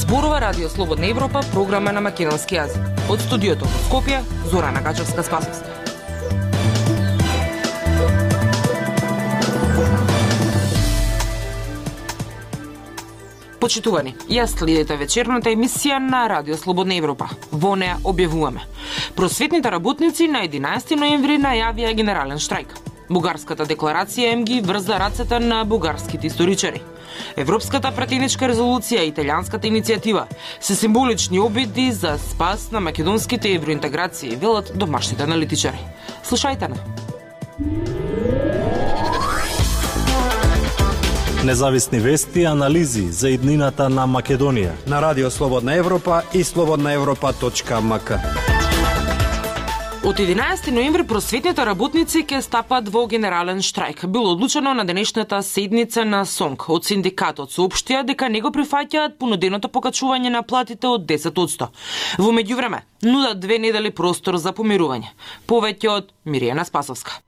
Зборува Радио Слободна Европа, програма на македонски јазик. Од студиото во Скопје, Зорана Качевска-Спасовска. Почитувани, ја следите вечерната емисија на Радио Слободна Европа. Во неа објавуваме: просветните работници на 11 ноември најавија генерален штрајк. Бугарската декларација им ги врза рацете на бугарските историчари. Европската пратеничка резолуција и италијанската иницијатива се символични обиди за спас на македонските евроинтеграции, велат домашните аналитичари. Слушајте на. Независни вести и анализи за иднината на Македонија на Радио Слободна Европа и slobodnaevropa.mk. Од 11 ноември просветните работници ќе стапат во генерален штрајк. Било одлучено на денешната седница на СОНК. Од синдикатот соопштија дека не го прифаќаат понуденото покачување на платите од 10%. Во меѓувреме, нудат 2 недели простор за помирување. Повеќе од Миријана Спасовска.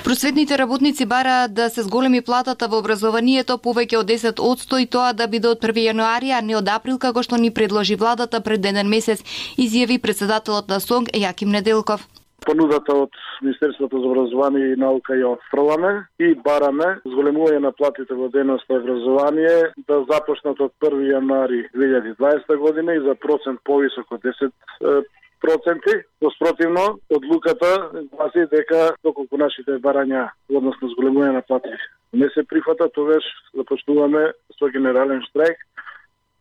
Просветните работници бараат да се зголеми платата во образованието повеќе од 10% и тоа да биде од 1 јануари, а не од април, како што ни предложи владата пред еден месец, изјави председателот на СОНК Јаким Неделков. Понудата од Министерството за образование и наука ја отфрламе и бараме зголемување на платите во дејност на образование да започнат од 1 јануари 2020 година и за процент повисок од 10%. Спротивно, одлуката гласи дека доколку нашите барања односно зголемување на плати не се прифата, тогаш започнуваме со генерален штрајк,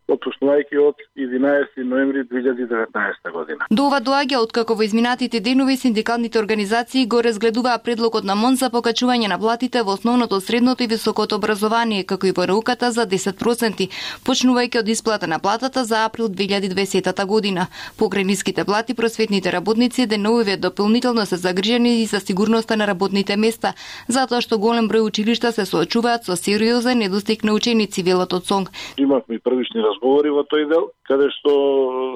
отпочнувајќи од 11 ноември 2019 година. До ова доаѓа откако во изминатите денови синдикалните организации го разгледуваа предлогот на МОН за покачување на платите во основното, средното и високото образование, како и во науката за 10%, почнувајќи од исплата на платата за април 2020 година. Покрај ниските плати, просветните работници деновиве дополнително се загрижени и за сигурноста на работните места, затоа што голем број училишта се соочуваат со сериозен недостиг на ученици, велат од СОНК. Имавме првични разговори во тој дел, каде што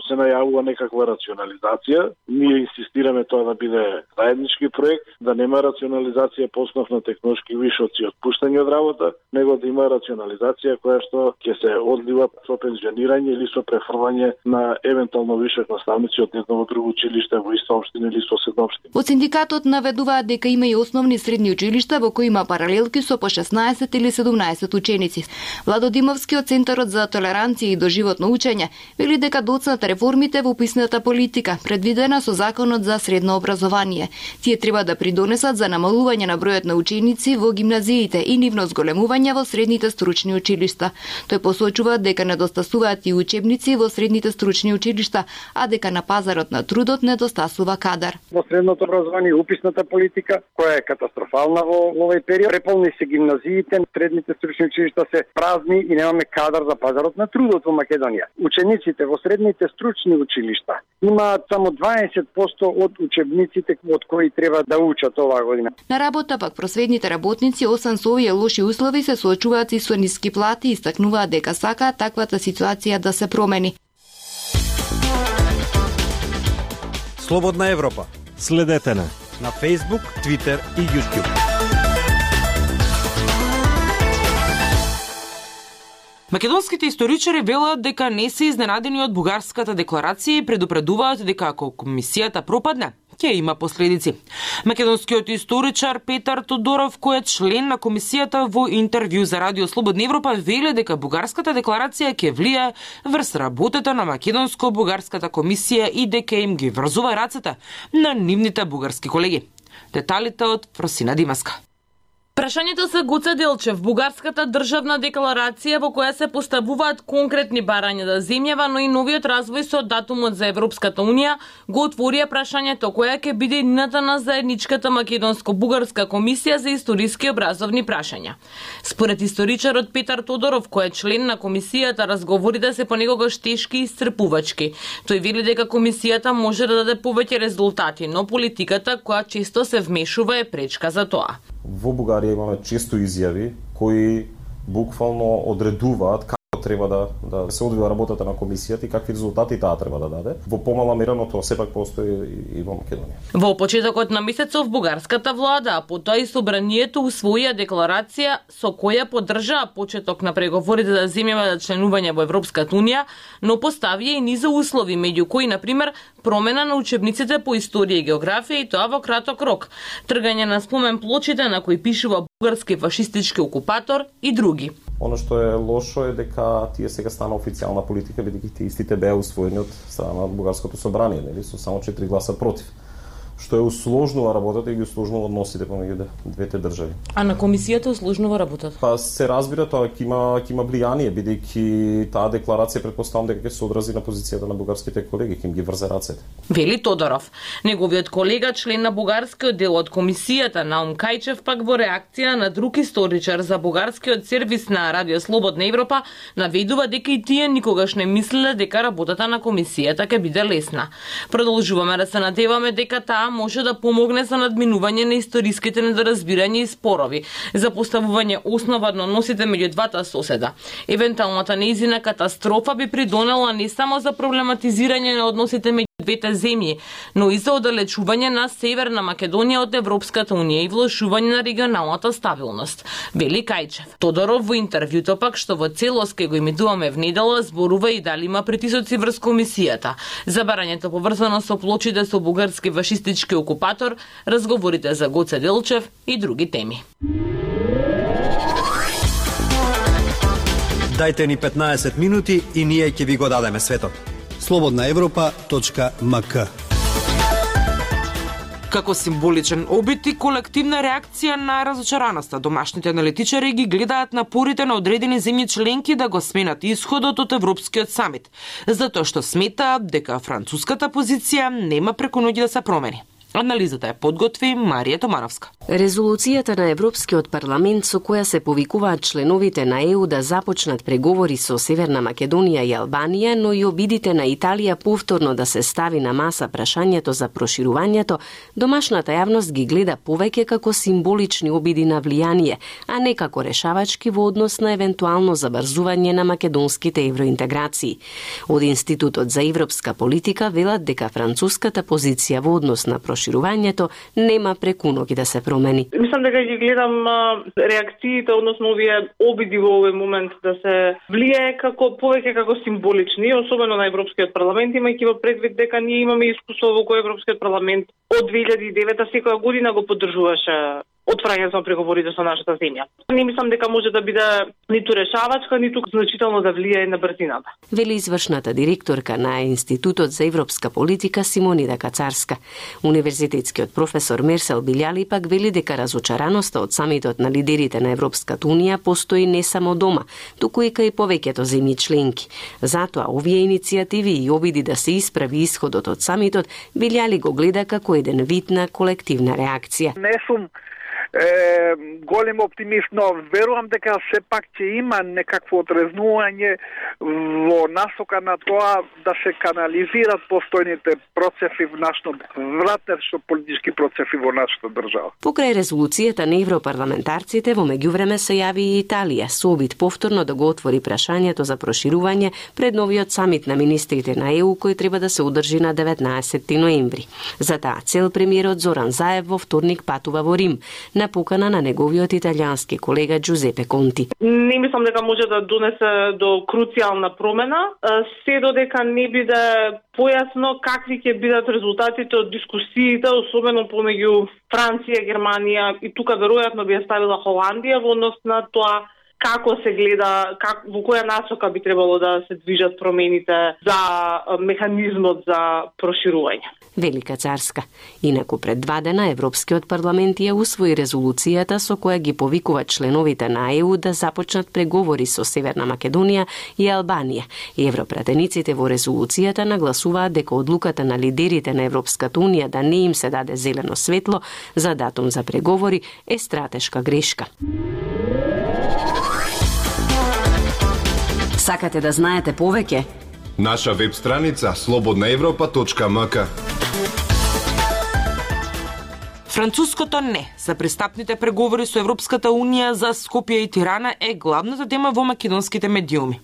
се најавува некаква рационализација. Ние инсистираме тоа да биде заеднички проект, да нема рационализација по основ на технолошки вишоци отпуштање од работа, него да има рационализација која што ќе се одлива со пензионирање или со префрлање на евентуално вишок наставници од едно во друго училиште во иста општина или соседна општина. Од синдикатот наведуваат дека има и основни средни училишта во кои има паралелки со по 16 или 17 ученици. Владо Димовски од Центарот за толеранција и доживотно учење вели дека доцнат реформите во писната политика, предвидена со Законот за средно образование. Тие треба да придонесат за намалување на бројот на ученици во гимназиите и нивно зголемување во средните стручни училишта. Тој посочува дека недостасуваат и учебници во средните стручни училишта, а дека на пазарот на трудот недостасува кадар. Во средното образование уписната политика, која е катастрофална во овој период, преполни се гимназиите, средните стручни училишта се празни и немаме кадар за пазарот на трудот во Македонија. Учениците во средните стручни училишта имаат само 20% од учебниците од кои треба да учат оваа година. На работа пак просветните работници, освен со овие лоши услови, се соочуваат и со ниски плати и истакнуваат дека сакаат таквата ситуација да се промени. Слободна Европа. Следете на Facebook, Twitter и YouTube. Македонските историчари велат дека не се изненадени од бугарската декларација и предупредуваат дека ако комисијата пропадне, ќе има последици. Македонскиот историчар Петар Тодоров, кој е член на комисијата, во интервју за Радио Слободна Европа вели дека бугарската декларација ќе влие врз работата на македонско-бугарската комисија и дека им ги врзува рацете на нивните бугарски колеги. Деталите од Фросина Димаска. Прашањето се Гоце Делчев, бугарската државна декларација во која се поставуваат конкретни барања за земјава, но и новиот развој со датумот за Европската Унија, го отворија прашањето која ќе биде иднината на заедничката македонско-бугарска комисија за историски образовни прашања. Според историчарот Петар Тодоров, кој е член на комисијата, разговорите се понекогаш тешки и исцрпувачки. Тој вели дека комисијата може да даде повеќе резултати, но политиката која често се вмешува е пречка за тоа. Во Бугарија имаме често изјави кои буквално одредуваат како треба да се одвива работата на комисијата и какви резултати таа треба да даде. Во помала мера, но тоа сепак постои и во Македонија. Во почетокот на месецов бугарската влада, а потоа и собранието усвоија декларација со која поддржаа почеток на преговорите за земјава за членување во Европската унија, но поставија и низа услови, меѓу кои на пример промена на учебниците по историја и географија и тоа во краток рок, тргање на спомен плочите на кои пишува бугарски фашистички окупатор и други. Оно што е лошо е дека тие сега стана официјална политика, бидејќи тие истите беа усвоени од страна на бугарското собрание, нели, со само 4 гласа против, што е усложнува работата и ги усложнува односите помеѓу двете држави. А на комисијата усложнува работата? Па се разбира, тоа ќе има влијание, бидејќи таа декларација претпоставам дека ќе се одрази на позицијата на бугарските колеги, ќе им ги врзе рацете. Вели Тодоров. Неговиот колега, член на бугарскиот дел од комисијата, Наум Кајчев, пак во реакција на друг историчар за бугарскиот сервис на Радио Слободна Европа, наведува дека и тие никогаш не мислеле дека работата на комисијата ќе биде лесна. Продолжуваме да се надеваме дека таа може да помогне за надминување на историските недоразбирања и спорови, за поставување основа на односите меѓу двата соседа. Евентуалната нејзина катастрофа би придонела не само за проблематизирање на односите меѓу двете земји, но и за оддалечување на Северна Македонија од Европската унија и влошување на регионалната стабилност, вели Кајчев. Тодоров во интервјуто пак, што во целост ке го имитуваме в недела, зборува и дали има притисоци врз комисијата. За барањето поврзано со плочите со бугарски фашистички окупатор, разговорите за Гоце Делчев и други теми. Дајте ни 15 минути и ние ќе ви го дадеме светот. slobodnaevropa.mk. Како символичен обид и колективна реакција на разочараноста, домашните аналитичари ги гледаат напорите на одредени земји членки да го сменат исходот од Европскиот самит, затоа што сметаат дека француската позиција нема преку ноќ да се промени. Анализата ја подготви Марија Томановска. Резолуцијата на Европскиот парламент со која се повикуваат членовите на ЕУ да започнат преговори со Северна Македонија и Албанија, но и обидите на Италија повторно да се стави на маса прашањето за проширувањето, домашната јавност ги гледа повеќе како символични обиди на влијание, а не како решавачки во однос на евентуално забрзување на македонските евроинтеграции. Од Институтот за европска политика велат дека француската позиција во однос на проширувањето нема преку ноќ да се промени. Мислам дека ги гледам реакциите, односно овие обиди во овој момент да се влијае повеќе како символични, особено на Европскиот парламент, имајќи во предвид дека ние имаме искуство во кој Европскиот парламент од 2009 секоја година го поддржуваше отвраќањето на преговорите со нашата земја. Не мислам дека може да биде ниту решавачка, ниту значително да влијае на брзината. Вели извршната директорка на Институтот за европска политика Симонида Кацарска. Универзитетскиот професор Мерсел Билјали пак вели дека разочараноста од самитот на лидерите на Европската унија постои не само дома, туку и кај повеќето земји членки. Затоа овие иницијативи и обиди да се исправи исходот од самитот Билјали го гледа како еден вид на колективна реакција. Не сум голем оптимист, но верувам дека сепак ќе има некакво отрезнување во насока на тоа да се канализират постојните процеси во нашето вратнешто политички процеси во нашата држава. Покрај резолуцијата на европарламентарците, во меѓувреме се јави и Италија со обид повторно да го отвори прашањето за проширување пред новиот самит на министрите на ЕУ кој треба да се одржи на 19 ноември. За таа цел премиерот Зоран Заев во вторник патува во Рим на покана на неговиот италијански колега Джузепе Конти. Не мислам дека може да донесе до круцијална промена, се додека не биде појасно какви ќе бидат резултатите од дискусиите, особено помеѓу Франција, Германија и тука веројатно би ја ставила Холандија во однос на тоа како се гледа, во која насока би требало да се движат промените за механизмот за проширување. Велика Царска. Инаку пред 2 дена Европскиот парламент ја усвои резолуцијата со која ги повикува членовите на ЕУ да започнат преговори со Северна Македонија и Албанија. Европратениците во резолуцијата нагласуваат дека одлуката на лидерите на Европската унија да не им се даде зелено светло за датум за преговори е стратешка грешка. Сакате да знаете повеќе? Наша веб страница slobodnaevropa.mk. Француското не за пристапните преговори со Европската Унија за Скопје и Тирана е главната тема во македонските медиуми.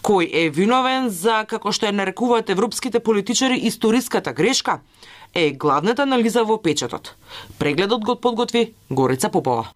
Кој е виновен за, како што ја нарекуваат европските политичари, историската грешка, е главната анализа во печатот. Прегледот го подготви Горица Попова.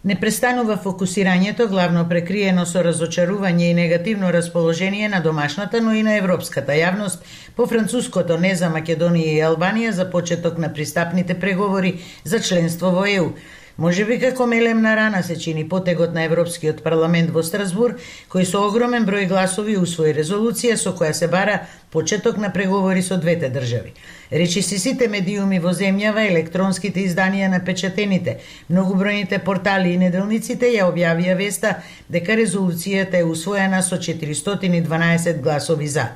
Не престанува фокусирањето главно прекриено со разочарување и негативно расположение на домашната, но и на европската јавност по француското не за Македонија и Албанија за почеток на пристапните преговори за членство во ЕУ. Можеби како мелемна рана се чини потегот на Европскиот парламент во Страсбург, кој со огромен број гласови усвои резолуција со која се бара почеток на преговори со двете држави. Речиси сите медиуми во земјава, електронските изданија на печатените, многобројните портали и неделниците ја објавија веста дека резолуцијата е усвоена со 412 гласови за.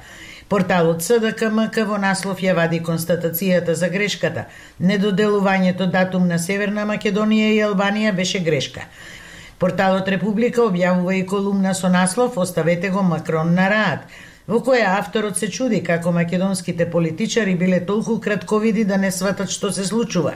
Порталот СДКМК во наслов ја вади констатацијата за грешката. Недоделувањето датум на Северна Македонија и Албанија беше грешка. Порталот Република објавува и колумна со наслов "Оставете го Макрон на раат", во која авторот се чуди како македонските политичари биле толку кратковиди да не сватат што се случува.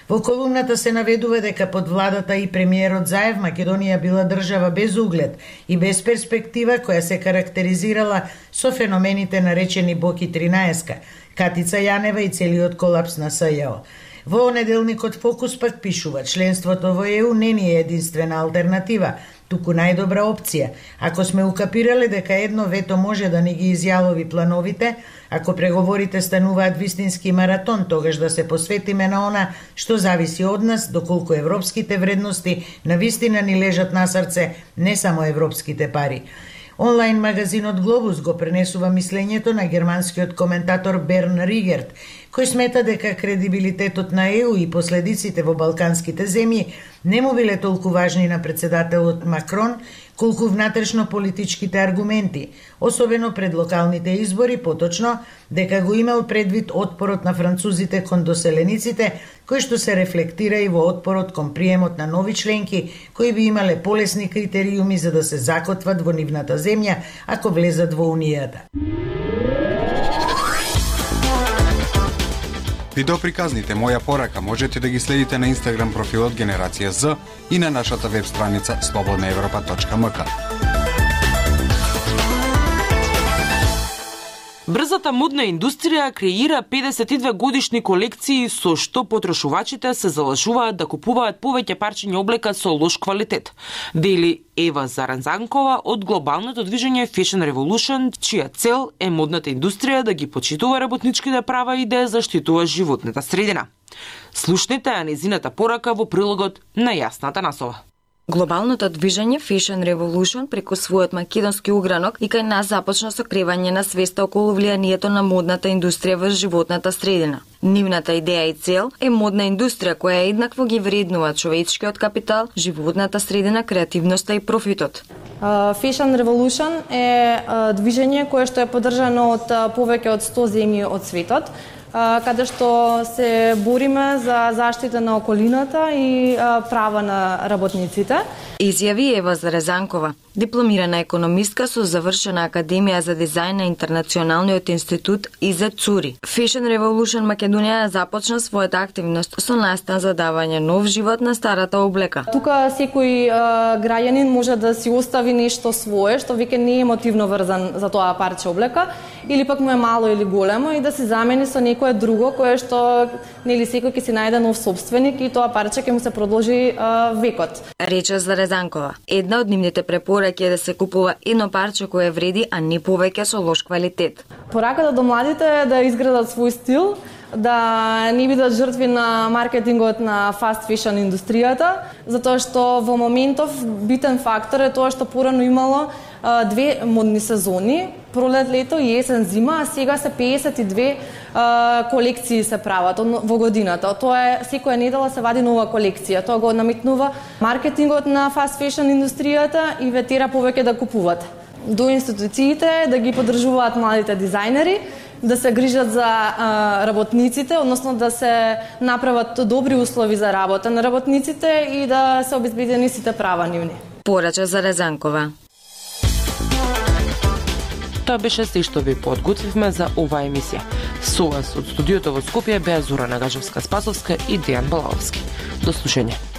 Во колумната се наведува дека под владата и премиерот Заев Македонија била држава без углед и без перспектива која се карактеризирала со феномените наречени Боки 13, Катица Јанева и целиот колапс на СЈО. Во неделникот Фокус пак пишува: членството во ЕУ не ни е единствена алтернатива, туку најдобра опција. Ако сме укапирале дека едно вето може да ни ги изјалови плановите, ако преговорите стануваат вистински маратон, тогаш да се посветиме на она што зависи од нас, доколку европските вредности навистина ни лежат на срце, не само европските пари. Онлайн магазинот Глобус го пренесува мислењето на германскиот коментатор Берн Ригерт, кој смета дека кредибилитетот на ЕУ и последиците во балканските земји не му биле толку важни на председателот Макрон, колку внатрешно политичките аргументи, особено пред локалните избори, поточно дека го имал предвид отпорот на французите кон доселениците, кој што се рефлектира и во отпорот кон приемот на нови членки, кои би имале полесни критериуми за да се закотват во нивната земја ако влезат во Унијата. Видеоприказните Моја порака можете да ги следите на Инстаграм профилот Генерација З и на нашата веб страница slobodnaevropa.mk. Брзата модна индустрија креира 52 годишни колекции со што потрошувачите се залажуваат да купуваат повеќе парчиња облека со лош квалитет. Дели Ева Заранзанкова од глобалното движење Fashion Revolution, чија цел е модната индустрија да ги почитува работничките права и да ја заштитува животната средина. Слушнете ја незината порака во прилогот на Јасната Насова. Глобалното движење Fashion Revolution преку својот македонски угранок и кај нас започна со кревање на свеста околу влијанието на модната индустрија во животната средина. Нивната идеја и цел е модна индустрија која еднакво ги вреднува човечкиот капитал, животната средина, креативноста и профитот. Fashion Revolution е движење кое што е поддржано од повеќе од 100 земји од светот, каде што се бориме за заштита на околината и права на работниците. Изјави Ева Зарезанкова, дипломирана економистка со завршена Академија за дизајн на Интернационалниот институт ИЗ Цури. Fashion Revolution Македонија започна својата активност со настан за давање нов живот на старата облека. Тука секој граѓанин може да си остави нешто свое, што веќе не е емотивно врзан за тоа парче облека, или пак му е мало или големо и да се замени со некое друго кое што нели секој ќе си најде нов собственик и тоа парче ќе му се продолжи векот. Рече Зарезанкова. Една од нивните препораки е да се купува едно парче кое вреди, а не повеќе со лош квалитет. Пораката до младите е да изградат свој стил, да не бидат жртви на маркетингот на fast fashion индустријата, затоа што во моментов битен фактор е тоа што порано имало две модни сезони, пролет, лето и есен, зима, а сега се 52 колекции се прават во годината. Тоа е секоја недела се вади нова колекција. Тоа го наметнува маркетингот на fast fashion индустријата и ве тера повеќе да купуват. До институциите да ги поддржуваат младите дизајнери, да се грижат за работниците, односно да се направат добри услови за работа на работниците и да се обезбедени сите права нивни. Порача Зарезанкова. Тоа беше се што ви подготвивме за оваа емисија. Со вас од студиото во Скопје беа Зора Нагажевска-Спасовска и Дејан Балаовски. До слушање.